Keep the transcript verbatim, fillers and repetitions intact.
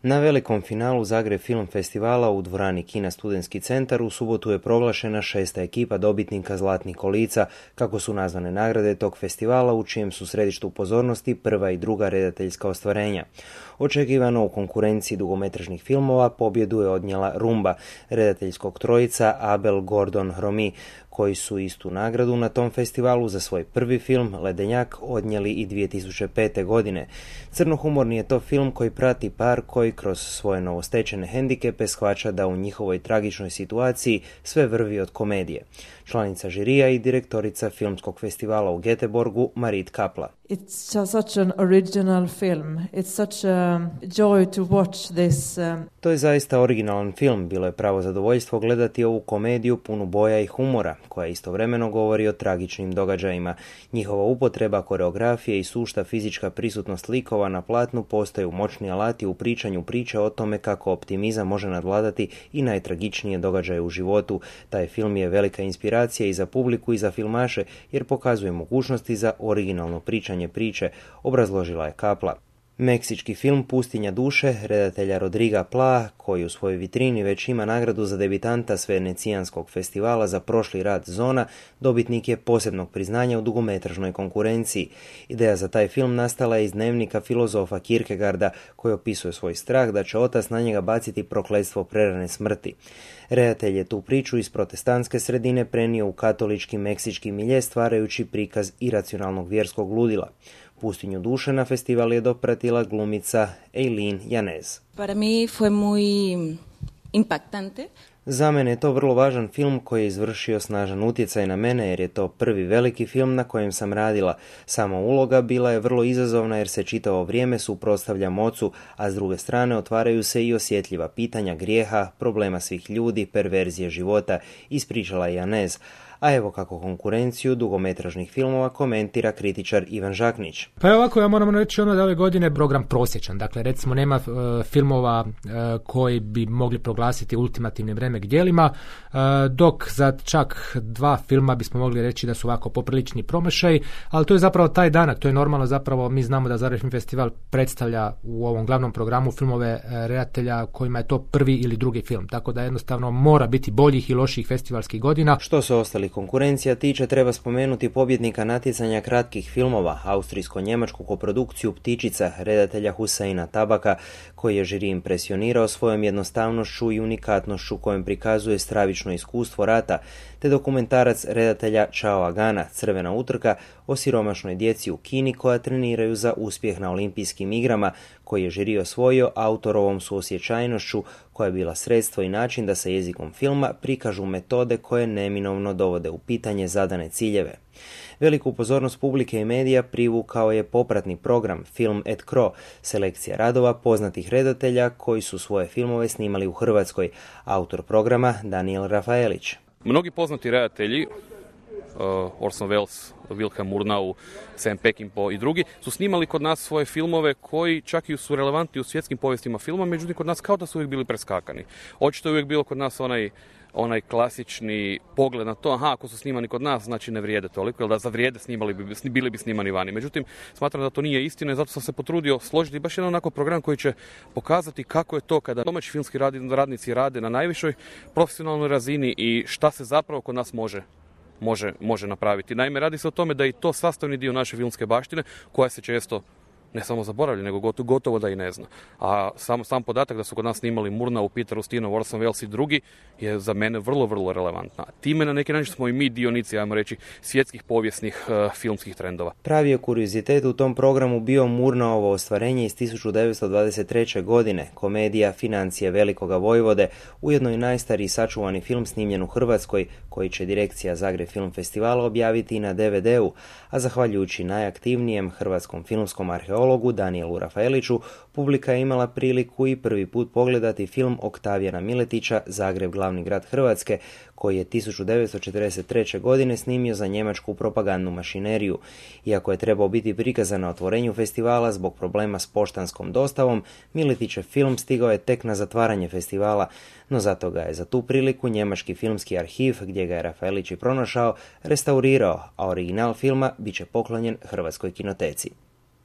Na velikom finalu Zagreb Film Festivala u dvorani Kina Studentski centar u subotu je proglašena šesta ekipa dobitnika Zlatnih kolica, kako su nazvane nagrade tog festivala u čijem su središtu pozornosti prva i druga redateljska ostvarenja. Očekivano u konkurenciji dugometražnih filmova pobjedu je odnijela Rumba, redateljskog trojica Abel Gordon Romi, koji su istu nagradu na tom festivalu za svoj prvi film Ledenjak odnijeli i dvije tisuće pete. godine. Crnohumorni je to film koji prati par koji kroz svoje novostečene hendikepe shvaća da u njihovoj tragičnoj situaciji sve vrvi od komedije. Članica žirija i direktorica filmskog festivala u Göteborgu Marit Kapla. It's such an original film. It's such a joy to watch this. Um... To je zaista originalan film. Bilo je pravo zadovoljstvo gledati ovu komediju punu boja i humora, koja istovremeno govori o tragičnim događajima. Njihova upotreba koreografije i sušta fizička prisutnost likova na platnu postaju moćni alati u pričanju priče o tome kako optimizam može nadvladati i najtragičnije događaje u životu. Taj film je velika inspiracija i za publiku i za filmaše, jer pokazuje mogućnosti za originalno pričanje priče, obrazložila je Kapla. Meksički film Pustinja duše redatelja Rodriga Pla, koji u svojoj vitrini već ima nagradu za debitanta s Venecijanskog festivala za prošli rad Zona, dobitnik je posebnog priznanja u dugometražnoj konkurenciji. Ideja za taj film nastala je iz dnevnika filozofa Kierkegaarda, koji opisuje svoj strah da će otac na njega baciti prokletstvo prerane smrti. Redatelj je tu priču iz protestantske sredine prenio u katolički meksički milje, stvarajući prikaz iracionalnog vjerskog ludila. Pustinju duše na festival je dopratila glumica Eileen Yanez. Para mí fue muy impactante. Za mene je to vrlo važan film koji je izvršio snažan utjecaj na mene, jer je to prvi veliki film na kojem sam radila. Sama uloga bila je vrlo izazovna jer se čitavo vrijeme suprotstavljam ocu, a s druge strane otvaraju se i osjetljiva pitanja grijeha, problema svih ljudi, perverzije života, ispričala je Yanez. A evo kako konkurenciju dugometražnih filmova komentira kritičar Ivan Žaknić. Pa ovako, ja moram reći ono da ove godine program prosječan. Dakle, recimo nema uh, filmova uh, koji bi mogli proglasiti ultimativnim remek djelima, uh, dok za čak dva filma bismo mogli reći da su ovako poprilični promašaj, ali to je zapravo taj danak, to je normalno, zapravo mi znamo da Zagreb Film Festival predstavlja u ovom glavnom programu filmove uh, redatelja kojima je to prvi ili drugi film, tako da jednostavno mora biti boljih i loših festivalskih godina. Što se ostali konkurencija tiče, treba spomenuti pobjednika natjecanja kratkih filmova, austrijsko-njemačku koprodukciju Ptičica redatelja Huseina Tabaka, koji je žiri impresionirao svojom jednostavnošću i unikatnošću kojom prikazuje stravično iskustvo rata, te dokumentarac redatelja Chao Agana Crvena utrka o siromašnoj djeci u Kini koja treniraju za uspjeh na olimpijskim igrama, koji je žiri osvojio autorovom suosjećajnošću koja je bila sredstvo i način da se jezikom filma prikažu metode koje neminovno dovode u pitanje zadane ciljeve. Veliku pozornost publike i medija privukao je popratni program Film et Cro, selekcija radova poznatih redatelja koji su svoje filmove snimali u Hrvatskoj, autor programa Daniel Rafaelić. Mnogi poznati redatelji, uh, Orson Welles, Wilhelm Murnau, Sam Peckinpah i drugi, su snimali kod nas svoje filmove koji čak i su relevantni u svjetskim povijestima filma, međutim kod nas kao da su uvijek bili preskakani. Očito je uvijek bilo kod nas onaj onaj klasični pogled na to, aha, ako su snimani kod nas, znači ne vrijede toliko, jer da za vrijede snimali bi, bili bi snimani vani. Međutim, smatram da to nije istina i zato sam se potrudio složiti baš jedan onako program koji će pokazati kako je to kada domaći filmski radnici rade na najvišoj profesionalnoj razini i šta se zapravo kod nas može Može, može napraviti. Naime, radi se o tome da je to sastavni dio naše filmske baštine koja se često ne samo zaboravlja, nego gotovo, gotovo da i ne zna. A sam, sam podatak da su kod nas snimali Murnau, Peter Ustinov, Orson Welles i drugi je za mene vrlo, vrlo relevantna. Time na neki način smo i mi dionici, ajmo reći, svjetskih povijesnih uh, filmskih trendova. Pravi je kuriozitet u tom programu bio Murnaovo ostvarenje iz tisuću devetsto dvadeset treće. godine, komedija Financije velikoga vojvode, ujedno i najstariji sačuvani film snimljen u Hrvatskoj, koji će direkcija Zagreb Film Festivala objaviti i na de ve de u, a zahvaljujući najaktivnijem hrvatskom filmskom arheologu Danielu Rafaeliću, publika je imala priliku i prvi put pogledati film Oktavijana Miletića Zagreb glavni grad Hrvatske, koji je tisuću devetsto četrdeset treće. godine snimio za njemačku propagandnu mašineriju. Iako je trebao biti prikazan na otvorenju festivala zbog problema s poštanskom dostavom, Miletićev film stigao je tek na zatvaranje festivala, no zato ga je za tu priliku njemački filmski arhiv, gdje ga je Rafaelić i pronašao, restaurirao, a original filma bit će poklonjen Hrvatskoj kinoteci.